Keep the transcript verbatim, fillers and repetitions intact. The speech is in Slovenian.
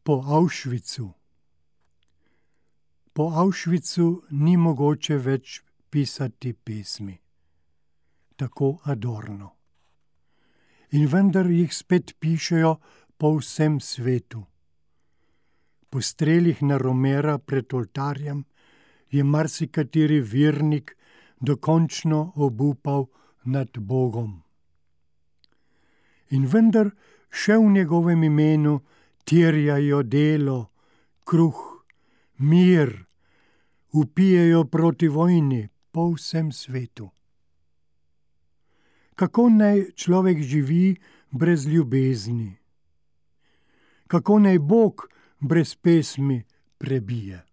Po Auschwitzu. Po Auschwitzu ni mogoče več pisati pesmi. Tako Adorno. In vendar jih spet pišejo po vsem svetu. Po strelih na Romera pred oltarjem je marsikateri vernik dokončno obupal nad Bogom. In vendar še v njegovem imenu terjajo delo, kruh, mir, vpijejo proti vojni po vsem svetu. Kako naj človek živi brez ljubezni? Kako naj Bog brez pesmi prebije?